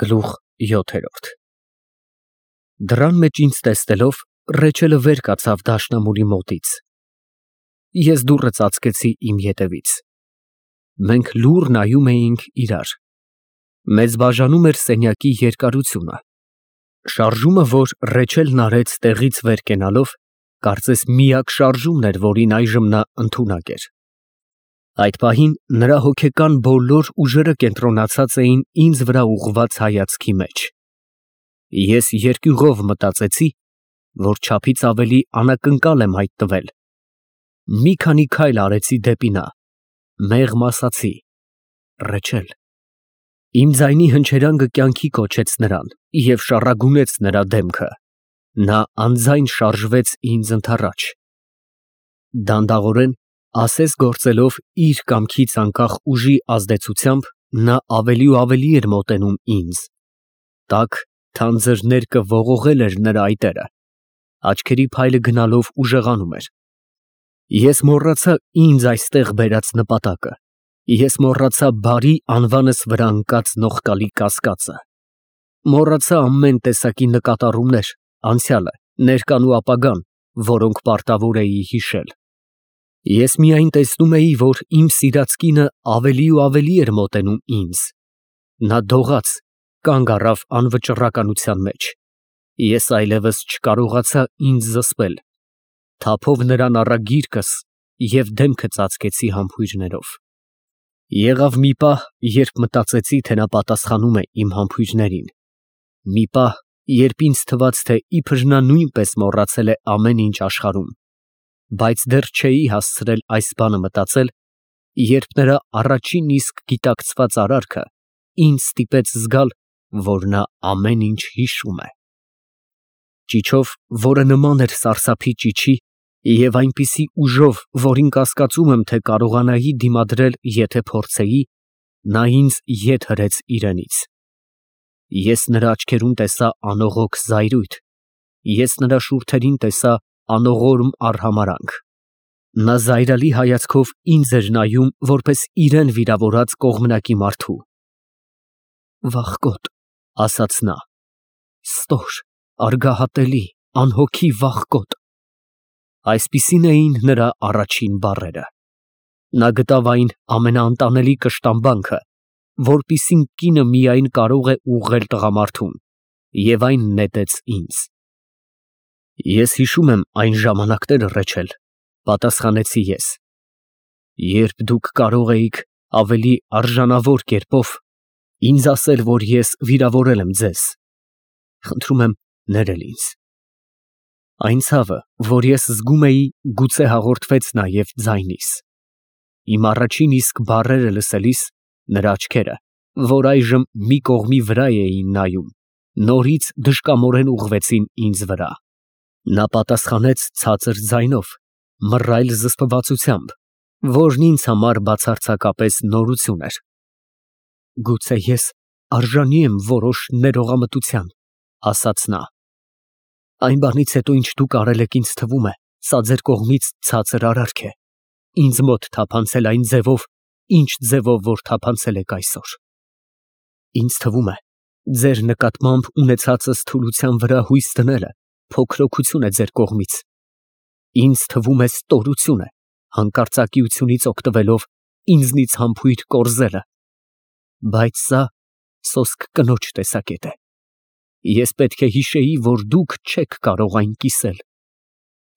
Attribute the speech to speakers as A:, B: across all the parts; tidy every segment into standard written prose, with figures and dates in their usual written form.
A: Գլուխ 7 Դռան մեջ ինձ տեսնելով, Ռեչելը վեր կացավ դաշնամուրի մոտից։ Ես դուռը ծածկեցի իմ ետևից։ Մենք լուռ նայում էինք իրար։ Մեզ բաժանում էր սենյակի երկարությունը։ Շարժումը, որ Ռեչելն արեց տեղից վեր կենալով, կարծես միակ շարժումն էր, որին այժմ նա ընդունակ էր։ Այդ պահին նրա հոգեկան բոլոր ուժերը կենտրոնացած էին ինձ վրա ուղղված հայացքի մեջ։ Ես երկյուղով մտածեցի, որ չափից ավելի անակնկալ եմ հայտնվել։ Մի քանի քայլ արեցի դեպի նա, մեղմ ասացի. Ռեչել։ Իմ ձայնի հնչերանգը կյանքի կոչեց նրան և շառագունեց նրա դեմքը։ Նա անձայն շարժվեց ինձ ընդառաջ։ Դանդաղորեն, ասես գործելով իր կամքից անկախ ուժի ազդեցությամբ, նա ավելի ու ավելի էր մոտենում ինձ։ Տաք, թանձր ներկը ողողել էր նրա այտերը, աչքերի փայլը գնալով ուժեղանում էր։ Ես մոռացա ինձ այստեղ բերած նպատակը։ Ես մոռացա բարի անվանս վրա ընկած նողկալի կասկածը։ Մոռացա ամեն տեսակի նկատառումներ, անցյալը, ներկան ու ապագան, որոնք պարտավոր էի հիշել։ Ես միայն տեսնում էի, որ իմ սիրած կինը ավելի ու ավելի էր մոտենում ինձ։ Նա դողաց, կանգ առավ անվճռականության մեջ։ Ես այլևս չկարողացա ինձ զսպել, թափով նրան առա գիրկս և դեմքը ծածկեցի համբույրներով։ Եղավ մի պահ, երբ մտածեցի, թե նա պատասխանում է իմ համբույրներին, մի պահ, երբ ինձ թվաց, թե իբր նա նույնպես մոռացել է ամեն ինչ աշխարհում, բայց դեռ չէի հասցրել այս բանը մտածել, երբ նրա առաջին իսկ գիտակցված արարքը ինձ ստիպեց զգալ, որ նա ամեն ինչ հիշում է։ Ճիչով, որը նման էր սարսափի ճիչի, և այնպիսի ուժով, որին կասկածում եմ, թե կարողանայի դիմադրել, եթե փորձեի, նա ինձ ետ հրեց իրենից։ Ես նրա աչքերում տեսա անողոք զայրույթ, ես նրա շուրթերին տեսա անողորմ արհամարհանք։ Նա զայրալի հայացքով ինձ էր նայում, որպես իրեն վիրավորած կողմնակի մարդու։ Վախկոտ, ասաց նա, ստոր, արգահատելի, անհոգի վախկոտ։ Այսպիսին էին նրա առաջին բառերը։ Նա գտավ այն ամենաանտանելի կշտամբանքը, որպիսին կինը միայն կարող է ուղղել տղամարդուն, և այն նետեց ինձ։ Ես հիշում եմ այն ժամանակները, Ռեչել, պատասխանեցի ես, երբ դուք կարող էիք ավելի արժանավոր կերպով ինձ ասել, որ ես վիրավորել եմ ձեզ, խնդրում եմ ներել ինձ։ Այն ցավը, որ ես զգում էի, գուցե հաղորդվեց նաև ձայնիս։ Իմ առաջին իսկ բառերը լսելիս, նրա աչքերը, որ այժմ մի կողմի վրա էին նայում, նորից դժկամորեն ուղղվեցին ինձ վրա։ Նա պատասխանեց ցածր ձայնով, մռայլ զսպվածությամբ, որն ինձ համար բացարձակապես նորություն էր։ Գուցե ես արժանի եմ որոշ ներողամտության, ասաց նա։ Այն բանից հետո, ինչ դուք արել եք, ինձ թվում է, սա ձեր կողմից ցածր արարք է, ինձ մոտ թափանցել այն ձևով, ինչ ձևով որ թափանցել եք այսօր։ Ինձ թվում է, ձեր նկատմամբ ունեցածս թուլության վրա հույս դնելը փոքրոքություն է ձեր կողմից։ Ինձ թվում է ստորություն է, հանկարծակիությունից օգտվելով ինձնից համբույր կորզելը։ Բայց սա սոսկ կնոջ տեսակետ է։ Ես պետք է հիշեի, որ դուք չեք կարող այն կիսել,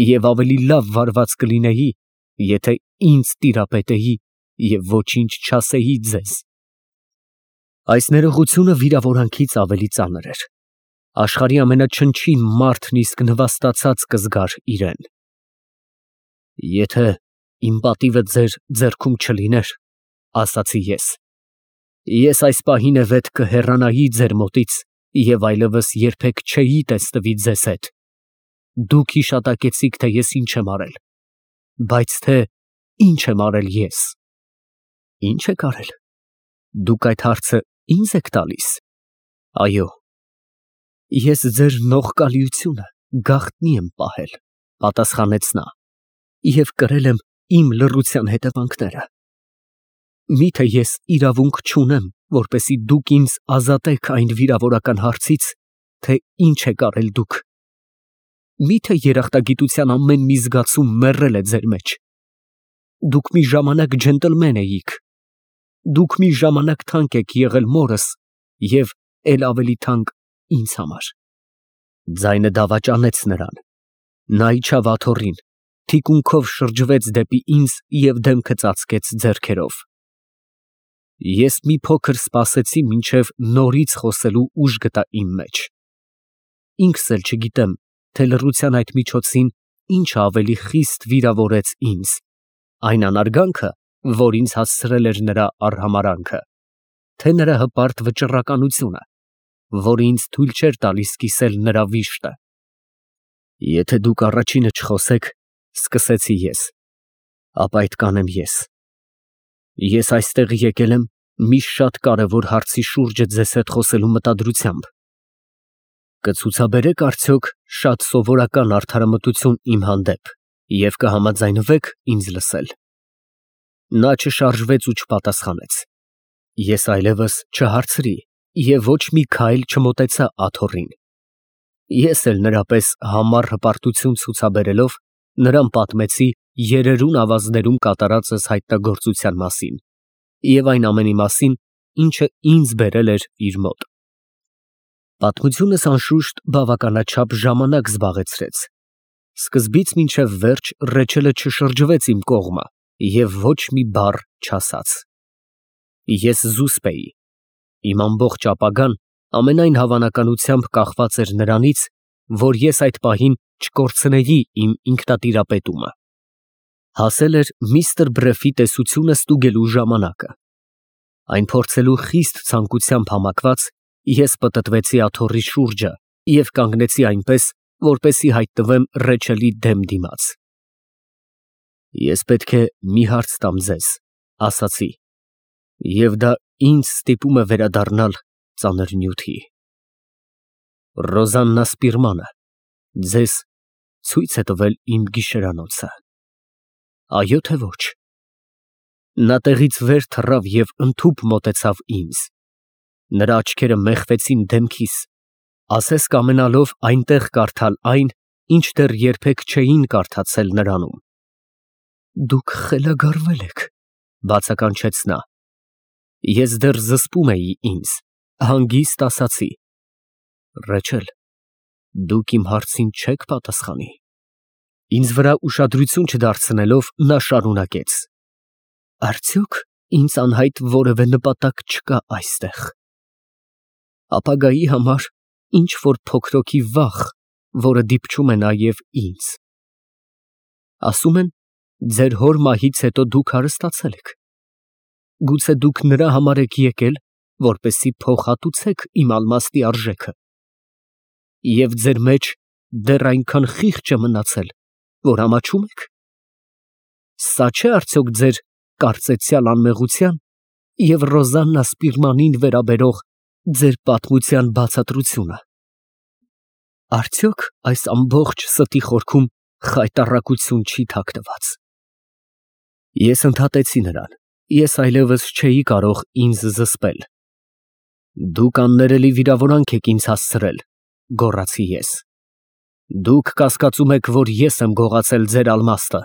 A: և ավելի լավ վարված կլինեի, եթե ինձ տիրապետեի և ոչինչ չասեի ձեզ։ Այս ներողությունը վիրավորանքից ավելի ծանր էր։ Աշխարհի ամենաչնչին մարդն իսկ նվաստացած կզգար իրեն։ Եթե իմ պատիվը ձեր ձեռքում չլիներ, ասացի ես այս պահին է վետ կհեռանայի ձեր մոտից և այլևս երբեք չէի տեսնվի ձեզ հետ։ Դուք հիշատակեցիք, թե ես ինչ եմ արել, բայց թե ինչ եմ արել ես։ Ինչ եք արել։ Դուք այդ հարցը ինձ եք տալիս։ Այո։ Ես ձեր նողկալիությունը գաղտնի եմ պահել, պատասխանեց նա, և կրել եմ իմ լռության հետևանքները։ Միթե ես իրավունք չունեմ որպեսզի դուք ինձ ազատեք այն վիրավորական հարցից, թե ինչ եք արել դուք։ Մի՞թե երախտագիտության ամեն մի զգացում մեռել է ձեր մեջ։ Դուք մի ժամանակ ջենտլմեն էիք։ Դուք մի ժամանակ թանկ եք եղել մորս և էլ ավելի թանկ ինձ համար։ Ձայնը դավաճանեց նրան։ Նա իջավ աթոռին, թիկունքով շրջվեց դեպի ինձ և դեմքը ծածկեց ձեռքերով։ Ես մի փոքր սպասեցի, մինչև նորից խոսելու ուժ գտա իմ մեջ։ Ինքս էլ չգիտեմ, թե լռության այդ միջոցին ինչը ավելի խիստ վիրավորեց ինձ, այն անարգանքը, որ ինձ հասցրել էր նրա արհամարհանքը, թե նրա հպարտ վճռականությունը, որը ինձ թույլ չէր տալիս կիսել նրա վիշտը։ Եթե դուք առաջինը չխոսեք, սկսեցի ես, ապա այդ կանեմ ես։ Ես այստեղ եկել եմ մի շատ կարևոր հարցի շուրջը ձեզ հետ խոսելու մտադրությամբ։ Կցուցաբերեք արդյոք շատ սովորական արդարամտություն իմ հանդեպ և կհամաձայնվեք ինձ լսել։ Նա չշարժվեց ու չպատասխանեց։ Ես այլևս չհարցրի և ոչ մի քայլ չմոտեցա աթոռին։ Ես էլ նրա պես համառ հպարտություն ցուցաբերելով նրան պատմեցի երերուն ավազներում կատարածս հայտնագործության մասին և այն ամենի մասին, ինչը ինձ բերել էր իր մոտ։ Պատմությունս անշուշտ բավականաչափ ժամանակ զբաղեցրեց։ Սկզբից մինչև վերջ Ռեչելը չշրջվեց իմ կողմը և ոչ մի բառ չասաց։ Ես զուսպ էի։ Իմ ամբողջ ապագան ամենայն հավանականությամբ կախված էր նրանից, որ ես այդ պահին չկորցնեի իմ ինքնատիրապետումը։ Հասել էր միստր Բրեֆի տեսությունը ստուգելու ժամանակը։ Այն փորձելու խիստ ցանկությամբ համակված, ես պտտվեցի աթոռի շուրջը և կանգնեցի այնպես, որպեսզի հայտնվեմ Ռեչելի դեմ դիմաց։ Ես պետք է մի հարց տամ ձեզ, ասացի, և դա ինձ ստիպում է վերադառնալ ծանր նյութի։ Ռոզաննա Սպիրմանը ձեզ ցույց է տվել իմ գիշերանոցը, այո թե ոչ։ Նա տեղից վեր թռավ և ընդհուպ մոտեցավ ինձ։ Նրա աչքերը մեխվեցին դեմքիս, ասես կամենալով այնտեղ կարդալ այն, ինչ դեռ երբեք չէին կարդացել նրանում։ Դուք խելագարվել եք, բացականչեց նա։ Ես դեռ զսպում էի ինձ, հանգիստ ասացի. Ռեչել, դուք իմ հարցին չեք պատասխանի։ Ինձ վրա ուշադրություն չդարձնելով, նա շարունակեց. Արդյոք ինձ անհայտ որևէ նպատակ չկա այստեղ։ Ապագայի համար ինչ որ փոքրոքի վախ, որը դիպչում է նաև ինձ։ Ասում են, ձեր հոր մահից հետո դուք հարստացել եք։ Գուցե դուք նրա համար եք եկել, որպեսզի փոխհատուցեք իմ ալմաստի արժեքը։ Եվ ձեր մեջ դեռ այնքան խիղճ է մնացել, որ ամաչում եք։ Սա չէ՞ արդյոք ձեր կարծեցյալ անմեղության և Ռոզաննա Սպիրմանին վերաբերող ձեր պատմության բացատրությունը։ Արդյոք այս ամբողջ ստի խորքում խայտառակություն չի թաքնված։ Ես ընդհատեցի նրան, ես այլևս չէի կարող ինձ զսպել։ Դուք աններելի վիրավորանք եք ինձ հասցրել, գոռացի ես։ Դուք կասկածում եք, որ ես եմ գողացել ձեր ալմաստը։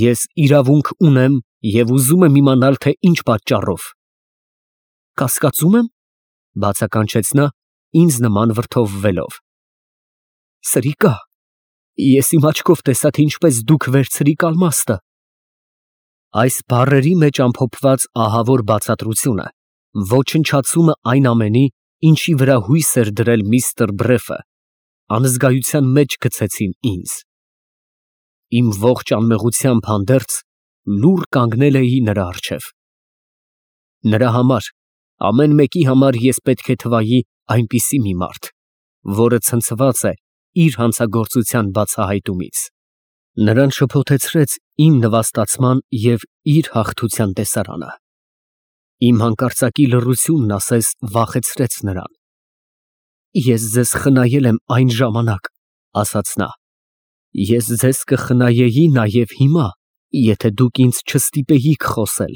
A: Ես իրավունք ունեմ և ուզում եմ իմանալ, թե ինչ պատճառով։ Կասկածում եմ, բացականչեց նա, ինձ նման վրդովվելով։ Սրիկա, ես իմ աչքով տեսա, թե ինչպես դուք վերցրիք ալմաստը։ Այս բառերի մեջ ամփոփված ահավոր բացատրությունը, ոչնչացումը այն ամենի, ինչի վրա հույս էր դրել միստր Բրեֆը, անզգայության մեջ գցեցին ինձ։ Իմ ողջ անմեղությամբ հանդերձ լուռ կանգնել էի նրա առջև։ Նրա համար, ամեն մեկի համար ես պետք է թվայի այնպիսի մի մարդ, որը ցնցված է իր հանցագործության բացահայտումից։ Նրան շփոթեցրեց իմ նվաստացման և իր հաղթության տեսարանը։ Իմ հանկարծակի լռությունն ասես վախեցրեց նրան։ Ես ձեզ խնայել եմ այն ժամանակ, ասաց նա։ Ես ձեզ կխնայեի նաև հիմա, եթե դուք ինձ չստիպեիք խոսել։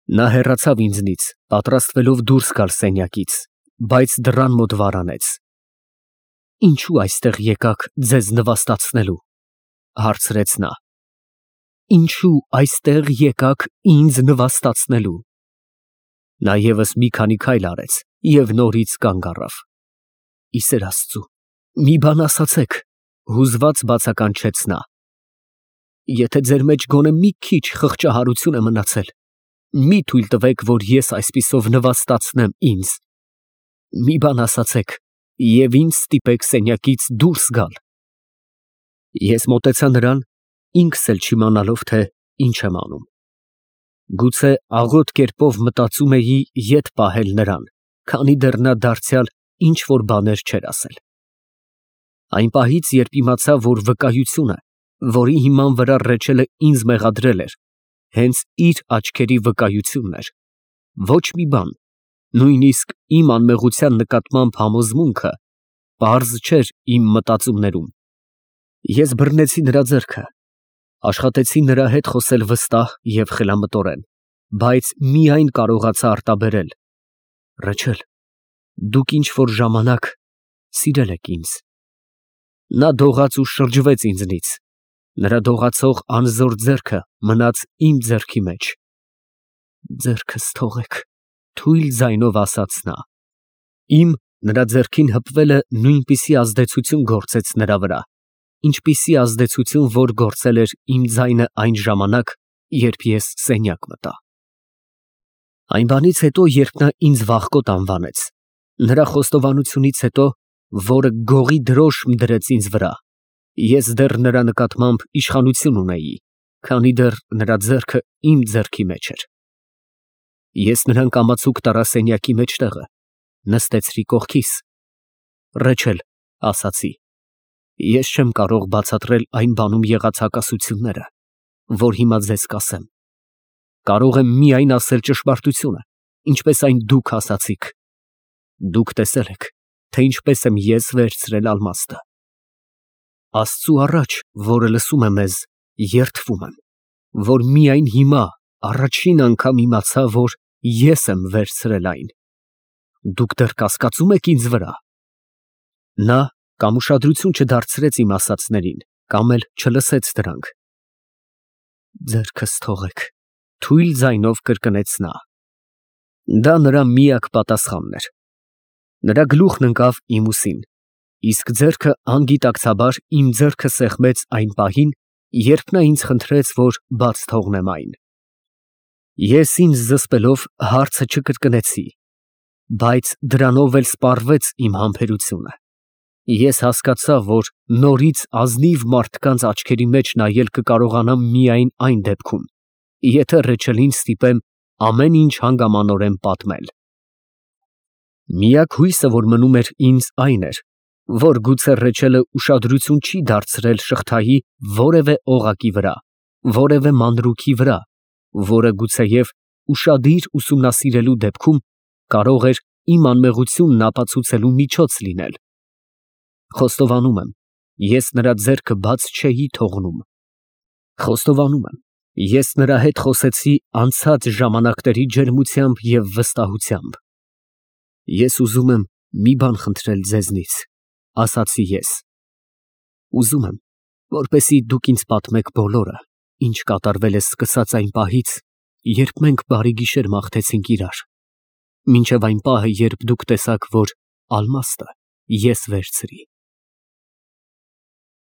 A: Նա հեռացավ ինձնից, պատրաստվելով դուրս գալ սենյակից, բայց դռան մոտ վարանեց։ Ինչու այստեղ եկաք ձեզ նվաստացնելու, հարցրեց նա։ Ինչու այստեղ եկաք ինձ նվաստացնելու։ Նա ևս մի քանի քայլ արեց և նորից կանգ առավ։ Ի սեր Աստծու, մի բան ասացեք, հուզված բացականչեց նա։ Եթե ձեր մեջ գոնե մի քիչ խղճահարություն է մնացել, մի թույլ տվեք, որ ես այսպիսով նվաստացնեմ ինձ։ Մի բան ասացեք և ինձ ստիպեք սենյակից դուրս գալ։ Ես մոտեցա նրան, ինքս էլ չիմանալով, թե ինչ եմ անում։ Գուցե աղոտ կերպով մտածում էի ետ պահել նրան, քանի դեռ նա դարձյալ ինչ-որ բաներ չէր ասել։ Այն պահից, երբ իմացա, որ վկայությունը, որի հիման վրա Ռեչելը ինձ մեղադրել էր, հենց իր աչքերի վկայությունն էր, ոչ մի բան, նույնիսկ իմ անմեղության նկատմամբ համոզմունքը, պարզ չէր իմ մտածումներում։ Ես բռնեցի նրա ձեռքը, աշխատեցի նրա հետ խոսել վստահ և խելամտորեն, բայց միայն կարողացա արտաբերել. Ռեչել, դուք ինչ֊որ ժամանակ սիրել եք ինձ։ Նա դողաց ու շրջվեց ինձնից, նրա դողացող անզոր ձեռքը մնաց իմ ձեռքի մեջ։ Ձեռքս թողեք, թույլ ձայնով ասաց նա։ Իմ նրա ձեռքին հպվելը նույնպիսի ազդեցություն գործեց նրա վրա, ինչպիսի ազդեցություն, որ գործել էր իմ ձայնը այն ժամանակ, երբ ես սենյակ մտա։ Այն բանից հետո, երբ նա ինձ վախկոտ անվանեց, նրա խոստովանությունից հետո, որը գողի դրոշմ դրեց ինձ վրա, ես դեռ նրա նկատմամբ իշխանություն ունեի, քանի դեռ նրա ձեռքը իմ ձեռքի մեջ էր։ Ես նրան կամացուկ տարա սենյակի մեջտեղը, նստեցրի կողքիս։ Ռեչել, ասացի, ես չեմ կարող բացատրել այն բանում եղած հակասությունները, որ հիմա ձեզ կասեմ։ Կարող եմ միայն ասել ճշմարտությունը, ինչպես այն դուք ասացիք։ Դուք տեսել եք, թե ինչպես եմ ես վերցրել ալմաստը։ Աստծու առաջ, որը լսում է մեզ, երդվում եմ, որ միայն հիմա առաջին անգամ իմացա, որ ես եմ վերցրել այն։ Դուք դեռ կասկածում եք ինձ վրա։ Նա կամ ուշադրություն չդարձրեց իմ ասածներին, կամ էլ չլսեց դրանք։ Ձեռքս թողեք, թույլ ձայնով կրկնեց նա։ Դա նրա միակ պատասխանն էր։ Նրա գլուխն ընկավ իմ ուսին, իսկ ձեռքը անգիտակցաբար իմ ձեռքը սեղմեց այն պահին, երբ նա ինձ խնդրեց, որ բաց թողնեմ այն։ Ես ինձ զսպելով հարցը չկրկնեցի, բայց դրանով էլ սպառվեց իմ համբերությունը։ Ես հասկացա, որ նորից ազնիվ մարդկանց աչքերի մեջ նայել կկարողանամ միայն այն դեպքում, եթե Ռեչելին ստիպեմ ամեն ինչ հանգամանորեն պատմել։ Միակ հույսը, որ մնում էր ինձ, այն էր, որ գուցե Ռեչելը ուշադրություն չի դարձրել շղթայի որևէ օղակի վրա, որևէ մանրուքի վրա, որը գուցեև ուշադիր ուսումնասիրելու դեպքում կարող էր իմ անմեղությունն ապացուցելու միջոց լինել։ Խոստովանում եմ, ես նրա ձեռքը բաց չէի թողնում։ Խոստովանում եմ, ես նրա հետ խոսեցի անցած ժամանակների ջերմությամբ և վստահությամբ։ Ես ուզում եմ մի բան խնդրել ձեզնից, ասացի ես։ Ուզում եմ, որպեսզի դուք ինձ պատմեք բոլորը, ինչ կատարվել է սկսած այն պահից, երբ մենք բարի գիշեր մաղթեցինք իրար, մինչև այն պահը, երբ դուք տեսաք, որ ալմաստը ես վերցրի։